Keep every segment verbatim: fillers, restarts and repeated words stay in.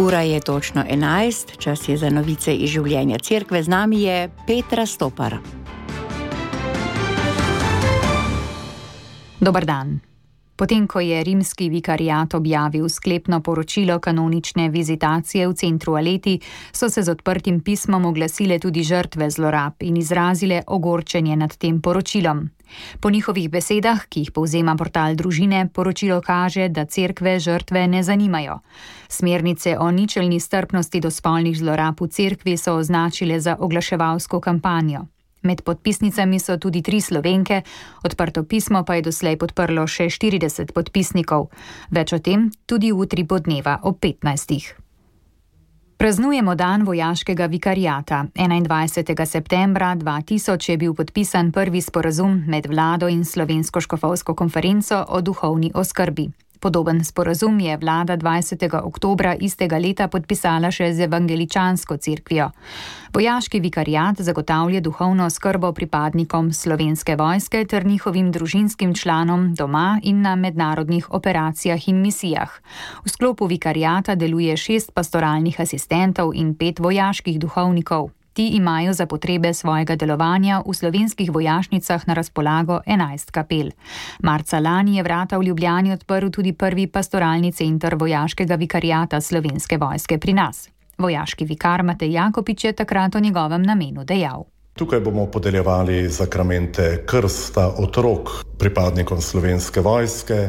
Ura je točno enajst, čas je za novice iz življenja cerkve. Z nami je Petra Stopar. Dobar dan. Potem, ko je rimski vikariat objavil sklepno poročilo kanonične vizitacije v centru Aleti, so se z odprtim pismom oglasile tudi žrtve zlorab in izrazile ogorčenje nad tem poročilom. Po njihovih besedah, ki jih povzema portal Družine, poročilo kaže, da cerkve žrtve ne zanimajo. Smernice o ničelni strpnosti do spolnih zlorab v cerkvi so označile za oglaševalsko kampanjo. Med podpisnicami so tudi tri Slovenke, odprto pismo pa je doslej podprlo še štirideset podpisnikov. Več o tem tudi jutri po dneva ob petnajstih. Praznujemo dan vojaškega vikariata. enaindvajsetega septembra dva tisoč je bil podpisan prvi sporazum med vlado in Slovensko škofovsko konferenco o duhovni oskrbi. Podoben sporazum je vlada dvajsetega oktobra istega leta podpisala še z evangeličansko cerkvijo. Vojaški vikariat zagotavlja duhovno oskrbo pripadnikom Slovenske vojske ter njihovim družinskim članom doma in na mednarodnih operacijah in misijah. V sklopu vikariata deluje šest pastoralnih asistentov in pet vojaških duhovnikov. Ti imajo za potrebe svojega delovanja v slovenskih vojašnicah na razpolago enajst kapel. Marca lani je vrata v Ljubljani odprl tudi prvi pastoralni center vojaškega vikariata Slovenske vojske pri nas. Vojaški vikar Matej Jakopič je takrat o njegovem namenu dejal. Tukaj bomo podeljevali zakramente krsta otrok pripadnikom Slovenske vojske.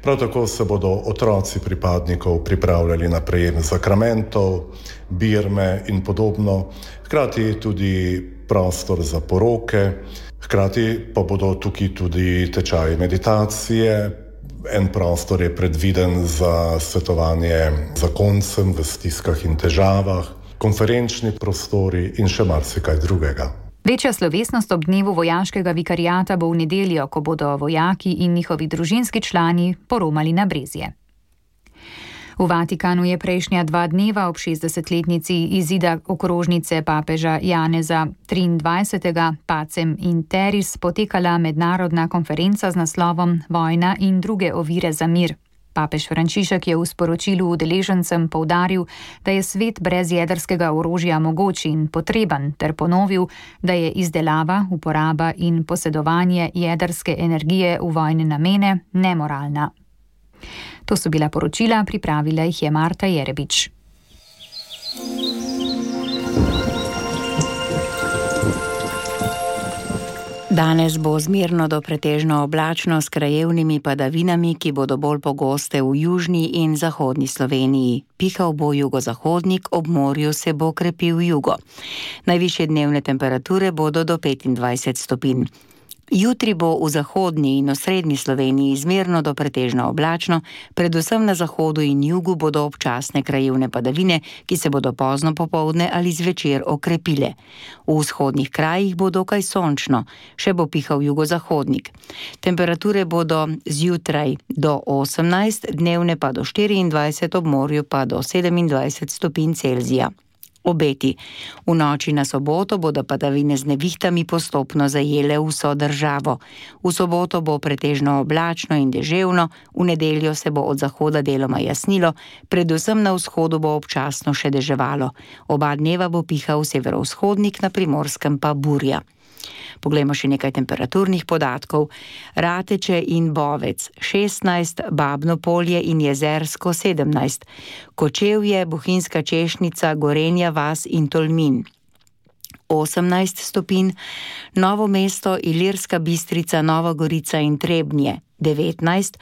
Prav tako se bodo otroci pripadnikov pripravljali na prejem zakramentov, birme in podobno. Hkrati tudi prostor za poroke, hkrati pa bodo tukaj tudi tečaji meditacije. En prostor je predviden za svetovanje zakoncem v stiskah in težavah, konferenčni prostori in še marsikaj drugega. Večja slovesnost ob dnevu vojaškega vikariata bo v nedeljo, ko bodo vojaki in njihovi družinski člani poromali na Brezje. V Vatikanu je prejšnja dva dneva ob šestdesetletnici izida okrožnice papeža Janeza triindvajsetega Pacem in Terris potekala mednarodna konferenca z naslovom Vojna in druge ovire za mir. Papež Frančišek je v sporočilu udeležencem poudaril, da je svet brez jedrskega orožja mogoč in potreben, ter ponovil, da je izdelava, uporaba in posedovanje jedrske energije v vojne namene nemoralna. To so bila poročila, pripravila jih je Marta Jerebič. Danes bo zmerno do pretežno oblačno s krajevnimi padavinami, ki bodo bolj pogoste v južni in zahodni Sloveniji. Pihal bo jugozahodnik, ob morju se bo krepil jugo. Najvišje dnevne temperature bodo do petindvajset stopinj. Jutri bo v zahodni in osrednji Sloveniji zmerno do pretežno oblačno, predvsem na zahodu in jugu bodo občasne krajevne padavine, ki se bodo pozno popoldne ali zvečer okrepile. V vzhodnih krajih bo dokaj sončno, še bo pihal jugozahodnik. Temperature bodo zjutraj do osemnajst, dnevne pa do štiriindvajset, ob morju pa do sedemindvajset stopinj Celzija. Obeti. V noči na soboto bodo padavine z nevihtami postopno zajele vso državo. V soboto bo pretežno oblačno in deževno, v nedeljo se bo od zahoda deloma jasnilo, predvsem na vzhodu bo občasno še deževalo. Oba dneva bo pihal severovzhodnik, na Primorskem pa burja. Poglejmo še nekaj temperaturnih podatkov. Rateče in Bovec šestnajst, Babno Polje in Jezersko sedemnajst, Kočevje, Bohinjska Češnica, Gorenja vas in Tolmin osemnajst stopinj, Novo mesto, Ilirska Bistrica, Nova Gorica in Trebnje devetnajst,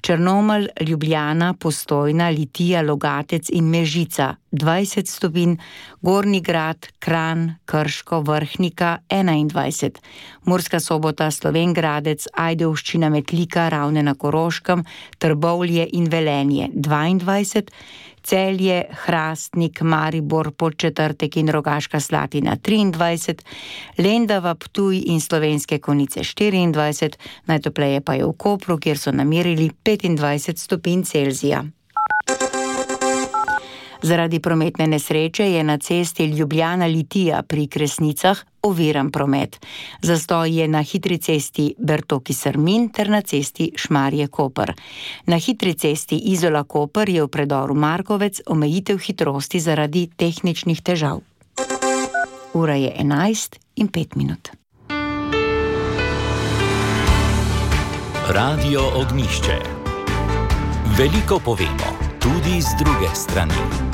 Črnomelj, Ljubljana, Postojna, Litija, Logatec in Mežica dvajset stopinj, Gornji Grad, Kranj, Krško, Vrhnika enaindvajset, Murska Sobota, Slovenj Gradec, Ajdovščina, Metlika, Ravne na Koroškem, Trbovlje in Velenje dvaindvajset, Celje, Hrastnik, Maribor, Podčetrtek in Rogaška Slatina triindvajset, Lendava, Ptuj in Slovenske Konjice štiriindvajset, najtopleje pa je v Kopru, kjer so namerili petindvajset stopinj Celzija. Zaradi prometne nesreče je na cesti Ljubljana-Litija pri Kresnicah oviran promet. Zastoj je na hitri cesti Bertoki-Srmin ter na cesti Šmarje-Koper. Na hitri cesti Izola-Koper je v predoru Markovec omejitev hitrosti zaradi tehničnih težav. Ura je enajst in pet minut. Radio Ognjišče. Veliko povemo, tudi z druge strani.